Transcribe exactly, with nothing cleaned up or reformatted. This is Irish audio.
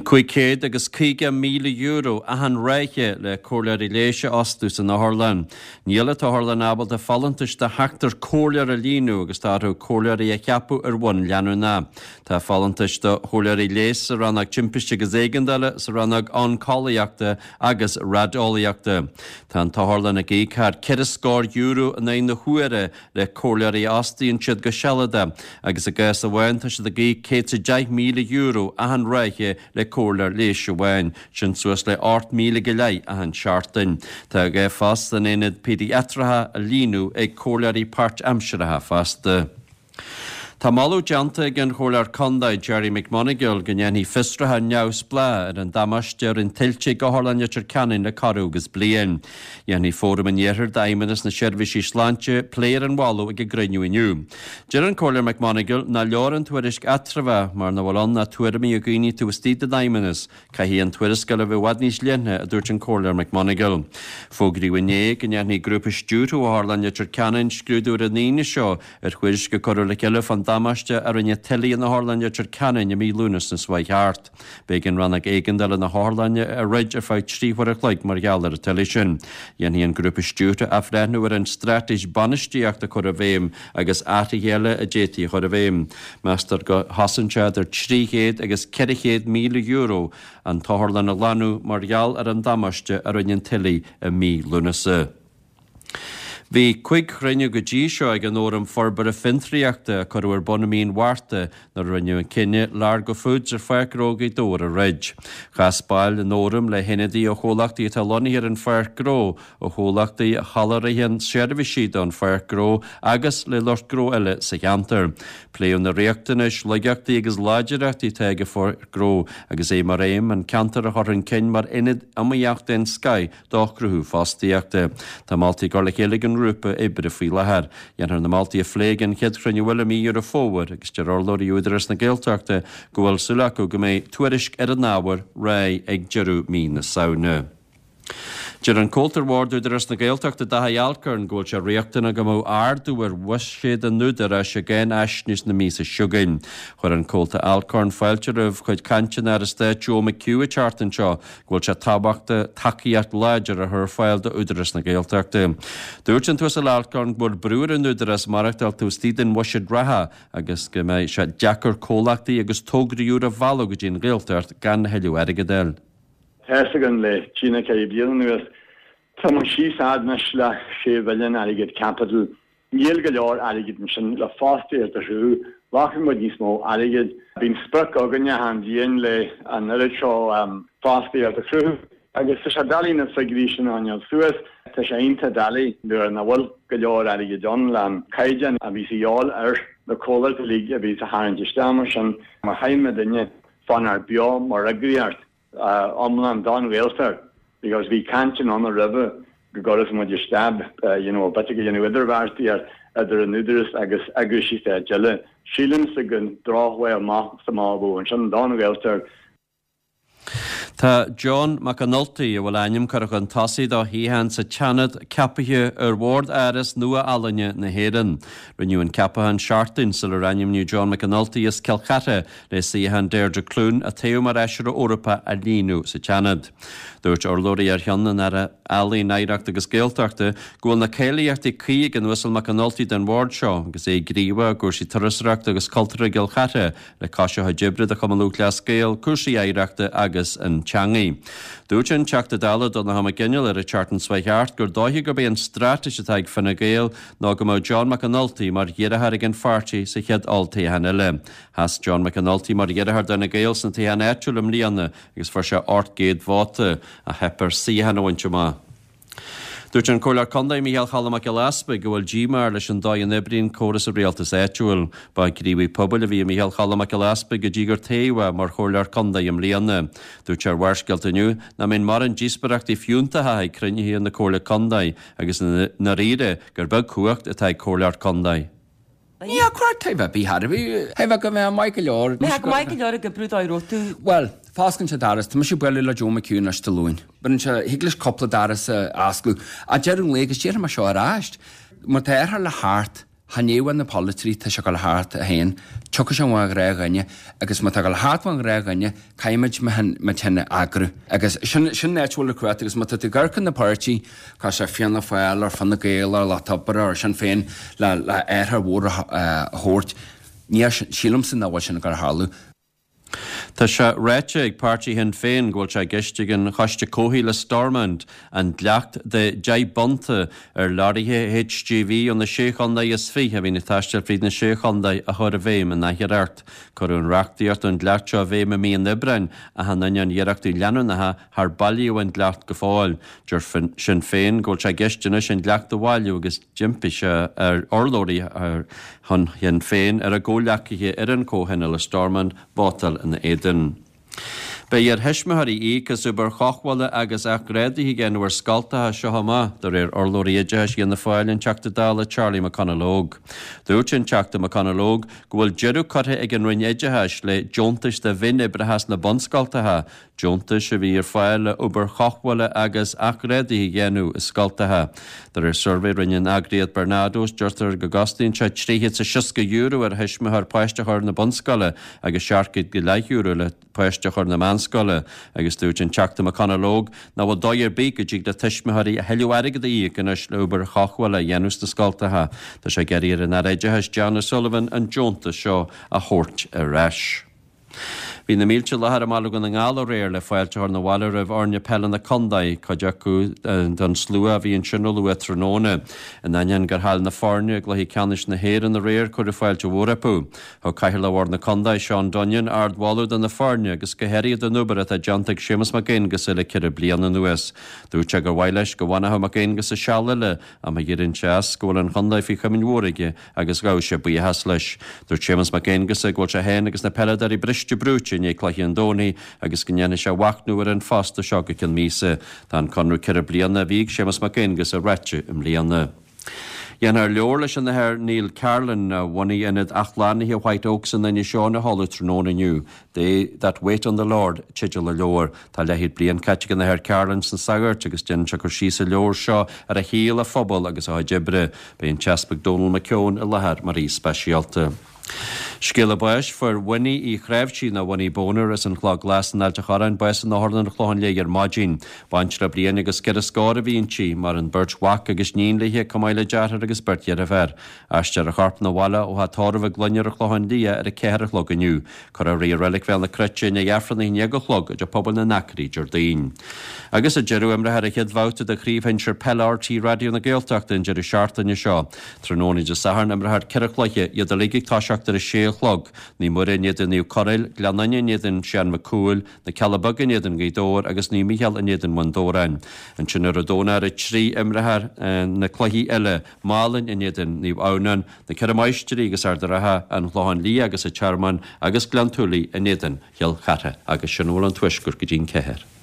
Cúig chéad agus caoga míle euro achan ráithe le comhairleoirí leighis a fhostú san otharlann. Níl an t-otharlann ábalta folúntais de sheachtar comhairleoir a líonadh agus tá orthu comhairleoirí a cheapadh ar bhonn leanúnach. Tá folúntais do chomhairleoirí leighis sa rannóg timpiste agus éigeandála, sa rannóg oncólaíochta agus raideolaíochta. Tá an t-otharlann ag íoc thar ceithre scór euro in aghaidh na huaire le comhairleoirí a fhostaíonn siad go sealadach agus i gcás amháin tá siad ag íoc céad is a deich míle euro achan ráithe le comhairleoir leighis amháin, sin suas le ocht míle go leith achan seachtain. Tá dhá phost san aonad péidiatrach a líonadh ag comhairleoirí páirtaimseartha fosta. Tá moladh déanta ag an Chomhairleoir Contae Gerry McMonagall go ndéanfaí fiosruchán neamhspleách ar an damáiste a rinne tuilte ag Otharlann Leitir Ceanainn le corradh agus bliain. Dhéanfaidh Fóram an Iarthair d'Fheidhmeannas na Seirbhísí Sláinte plé ar an mholadh ag a gcruinniú inniu. Deir an Comhairleoir McMonagall nach leor an tuairisc eatramhach mar nach bhfuil ann ach tuairimí ó dhaoine taobh istigh den fheidhmeannas. Caithfidh an tuarascáil a bheith i bhfad níos leithne, a dúirt an Comhairleoir McMonagall. Fógraíodh inné go ndéanfaidh grúpa stiúrtha Otharlann Leitir Ceanainn scrúdú ar an Aoine seo ar thuairisc a cuireadh le chéile fán damáiste a rinne tuile in Otharlann Leitir Ceanainn i mí Lúnasa seo chuaigh thart. B'éigean rannóg éigeandála na hotharlainne a dhruid ar feadh trí huair a chloig mar gheall ar an tuile sin. Dhéanfaidh an grúpa stiúrtha athbhreithniú ar an straitéis bainistíochta a chur i bhfeidhm agus athruithe eile a d'fhéadfaí a chur i bhfeidhm. Meastar go chosain sé idir trí chéad agus ceithre chéad míle euro an t-otharlann a ghlanadh mar gheall ar an damáiste a rinne an tuile i mí Lúnasa. Bhí cúig chruinniú go dtí seo ag an Fhóram Forbartha Fiontraíochta a cuireadh ar bun i mí an Mhárta nuair a rinneadh an cinneadh Largo Foods ar Pháirc Ghnó Ghaoth Dobhair a dhruid. Chas baill an fhóraim le hionadaithe ó chomhlachtaí atá lonnaithe ar an pháirc ghnó, ó chomhlachtaí a sholáthraíonn seirbhísí don pháirc ghnó agus le lucht gnó eile sa cheantar. Pléadh na riachtanais, laigeachtaí agus láidreachtaí atá ag an pháirc ghnó agus é mar aidhm an ceantar a chur chun cinn mar ionad iomaíoch den scoth do chruthú fostaíochta. Tá moltaí á gcur le chéile ag an ngrúpa oibre faoi láthair. Dhéanfar na moltaí a phlé ag an chéad chruinniú eile i mí Dheireadh Fómhair agus deir urlabhraí Údarás na Gaeltachta go bhfuil súil acu go mbeidh tuairisc ar an ábhar réidh ag deireadh mí na Samhna. Deir an Comhalta ar Bhord Údarás na Gaeltachta Dáithí Alcorn go bhfuil sé riachtanach go mbeadh ardú ar bhuiséad an Údaráis i gcáinaisnéis na míosa seo chugainn. Chuir an Comhalta Alcorn fáilte roimh chuid cainte an Aire Stáit Joe McHugh an tseachtain seo go bhfuil sé tábhachtach tacaíocht láidir a chur ar fáil d'Údarás na Gaeltachta. Dúirt an tUasal Alcorn go bhfuil brú ar an Údarás maireachtáil taobh istigh den bhuiséad reatha agus go mbeidh sé deacair comhlachtaí agus tograí úra a mhealladh go dtí an Ghaeltacht gan a thuilleadh airgid a fháil. Tá a fhios againn le trí nó ceithre bliana anuas, tá muid síos fhad anois le sé mhilliún airgead caipitil. Níl go leor airgid ansin le fostaíocht a chruthú. Ghlacfaidh muid níos mó airgid. Bíonn sprioc againne achan bhliain le an oiread seo fostaíocht a chruthú. Agus tá sé doiligh na figiúirí sin a choinneáil suas. Tá sé iontach doiligh nuair nach bhfuil go leor airgid ann le an caighdeán a bhí a dhíobháil ar na comhlachtaí uilig a bhí a tharraingt isteach mar sin. Mar chaithfidh muidinne fanacht beo mar eagraíocht. iomlán don Ghaeltacht because bhí cainteanna ann roimhe go gcuirfeadh muid isteach you know b'fhéidir go dhéanamh idirbheartaíocht idir an Údarás agus eagraíochtaí stáit eile. Sílimse gur drochbhail amach is amach a bheadh ansin don Ghaeltacht. Tá John McAnulty, a bhfuil a ainm curtha chun tosaigh do shuíochán sa tSeanad, ceaptha ar bhord Áras Nua-Ealaíne na hÉireann. Rinneadh an ceapachán seachtain sular ainmníodh John McAnulty as Cill Chartha le suíochán Deirdre Clune a toghadh mar fheisire Eorpach a líonadh sa tSeanad. Dúirt urlabhraí ar cheann an Aire Ealaíon, Oidhreachta agus Gaeltachta go bhfuil na cáilíochtaí cuí ag an Uasal McAnulty don bhord seo agus é gníomhach i gcúrsaí turasóireachta agus cultúrtha i gCill Chartha le cois a chuid oibre do Chumann Lúthchleas Gael, cúrsaí oidhreachta agus an teangaidh. Dúirt an Teachta Dála Donnchadh Mac Gineal ar an tseachtain seo chuaigh thart gur dóiche gurb é an straitéis atá ag Fine Gael ná go mbeadh John McAnulty mar iarrthóir ag an pháirtí sa chéad olltoghchán eile. Sheas John McAnulty mar iarrthóir d'Fhine Gael sna toghcháin áitiúla i mbliana agus fuair sé ocht gcéad vóta, ach theip air suíochán a bhaint amach. Dúirt an Comhairleoir Contae Micheál Cholm Mac Giolla Easpaig go bhfuil díomá air leis an dóigh a n-oibríonn córas an rialtais áitiúil. Ba ghníomhaí pobail a bhí i Micheál Cholm Mac Giolla Easpaig go dtí gur toghadh é mar Chomhairleoir Contae i mbliana. Dúirt sé ar Bharrscéalta inniu nach mbíonn mórán díospóireachtaí fiúntacha ag cruinnithe na Comhairle Contae agus i ndáiríre gur beag cumhacht atá ag Comhairleoir Contae. Ní hea, cuir taobh ar bith thar a bhí. Thaobh go mbeadh maith go leor. Mbeadh maith go leor ag oibriú dá raibh tú. Bhuel, fosclann sé doras, tá mise ag bualadh le Joe McHugh anois Dé Luain. Baineann sé, thig leis cúpla doras a osclú. Ach deireadh an lae agus déarfaidh mé seo ar ais, má tá airthear le thart, Chan é uaidh na polaiteoirí tá sé ag dul thart a féin, tiocfaidh sé ón ghnáthdhuine agus má tá ag dul thart ón ghnáthdhuine caithfimid muid féin a eagrú. Agus sin sin an áit a bhfuil an chumhacht agus má tá tú ag amharc ar na páirtí, cosúil le Fianna Fáil or Fine Gael or Lucht Oibre or Sinn Féin le le athruithe mhóra a thabhairt, ní sílimse nach bhfuil sin ag dul a tharlú. Tá sé ráite ag páirtí Shinn Féin go bhfuil sé i gceist ag an Choiste Comhshaoil i Stormont an dleacht de deich bpunta ar leoraithe HGV ó na Sé Chontae is fiche a bhíonn ag taisteal fríd na Sé Chontae a chur i bhfeidhm in athiarracht. Cuireadh an reachtaíocht don dleacht seo i bhfeidhm i mí an Aibreáin ach in ainneoin iarrachtaí leanúnacha char bailíodh an dleacht go fóill. Deir Sinn Féin go bhfuil sé i gceist anois an dleacht a bhailiú agus d'impigh sé ar urlabhraí ar shon Shinn Féin ar a gcomhghleacaithe ar an Chomhthionól i Stormont vótáil ina éadan. Beidh ar thuismitheoirí íoc as obair chothabhála agus athghrádaithe a dhéanamh ar scoltacha as seo amach, de réir urlabhraí oideachais Fhianna Fáil, an Teachta Dála Charlie McConalogue. Dúirt an Teachta McConalogue go bhfuil deireadh curtha ag an Roinn Oideachais le deontais do mhionoibreacha sna bunscoltacha, deontais a bhí ar fáil le obair chothabhála agus athghrádaithe a dhéanamh i scoltacha. De réir suirbhé a rinne an eagraíocht Barnardo's, deirtear go gcosnaíonn sé trí chéad is a seasca euro ar thuismitheoir páiste a chur na bunscoile agus seacht gcéad go leith euro le páiste a chur na meánscoile, agus dúirt an Teachta McConalogue nach bhfuil dóigh ar bith go dtig le tuismitheoirí a thuilleadh airgid a íoc anois le obair chothabhála a dhéanamh sna scoltacha. Tá sé ag iarraidh ar an Aire Oideachais Jan O'Sullivan an deontas seo a thabhairt ar ais. Bhí na mílte i láthair i mBaile Dhún na nGall aréir le fáilte a chur 'na bhaile roimh fhoirne peile na contae, cuid acu den slua a bhí ansin ó luath tráthnóna. In ainneoin gur chaill na foirne i gcluiche ceannais na hÉireann aréir, cuireadh fáilte mhór rompu. Thug Cathaoirleach Bhord na Contae, Seán Dunnion, ardmholadh do na foirne agus go háirithe don obair atá déanta ag Séamus Mac Aonghusa le ceithre bliana anuas. Dúirt sé gur mhaith leis go bhfanfadh Mac Aonghusa seal eile ach má éiríonn sé as go bhfuil an chontae faoi chomaoin mhór aige agus ghabh sé buíochas leis. Dúirt Séamus Mac Aonghusa go bhfuil sé féin agus na peileadóirí briste brúite i ndiaidh cluiche an Domhnaigh agus go ndéanfaidh sé machnamh ar an phost seo go ceann míosa. Tá an conradh ceithre bliana a bhí ag Séamus Mac Aonghusa reaite i mbliana. Déanfar leabhar leis an Athair Neil Carlin a bhunaigh ionad athshlánaithe White Oaks in Inis Eoghain a sheoladh tráthnóna inniu. They that wait on the Lord teideal an leabhair. Tá leathchéad bliain caite ag an Athair Carlin sna sagairt agus déanann sé cur síos sa leabhar seo ar a shaol, a phobal agus a chuid oibre. Beidh an tEaspag Dónal McKeown i láthair mar aoi speisialta. Scéala báis fuair Winnie Uí Chráimhsí nó Winnie Boner as an Chloch Ghlas in Ailt an Chorráin bás in Otharlann an Chlocháin Léith ar maidin. Baintreach bliain agus ceithre scór a bhí inti, maireann beirt mhac agus níon léi, chomh maith le deartháir agus beirt dheirféar. Aistreofar a corp 'na bhaile ó theach tórraimh a clainne ar an Chlochán Liath ar a ceathair a chlog inniu. Cuirfear í i Reilig Bhéal na Cruite i ndiaidh Aifreann a haon déag a chlog i dTeach Pobail na nAcraí Déardaoin. Agus sa deireadh imreofar an chéad bhabhta de Chraobh Shinsir Peile RTÉ Raidió na Gaeltachta an deireadh seachtaine seo. Tráthnóna Dé Sathairn imreofar ceithre chluiche, iad uilig ag toiseacht ar a sé a chlog, Naomh Muire in éadan Naomh Conaill, Gleann Fhinne in éadan Seán Mac Cumhaill, Na Cealla Beaga in éadan Ghaoth Dobhair agus Naomh Mícheál in éadan Bhun Dobhráin. Ansin ar an Domhnach ar a trí imreofar na cluichí eile, Málainn in éadan Naomh Adhamhnáin, Na Ceithre Máistrí agus Ard an Rátha, An Clochán Liath agus an Tearmann agus Gleann tSúilí in éadan Chill Chartha agus sin a bhfuil ón Tuaisceart go dtí'n ceathair.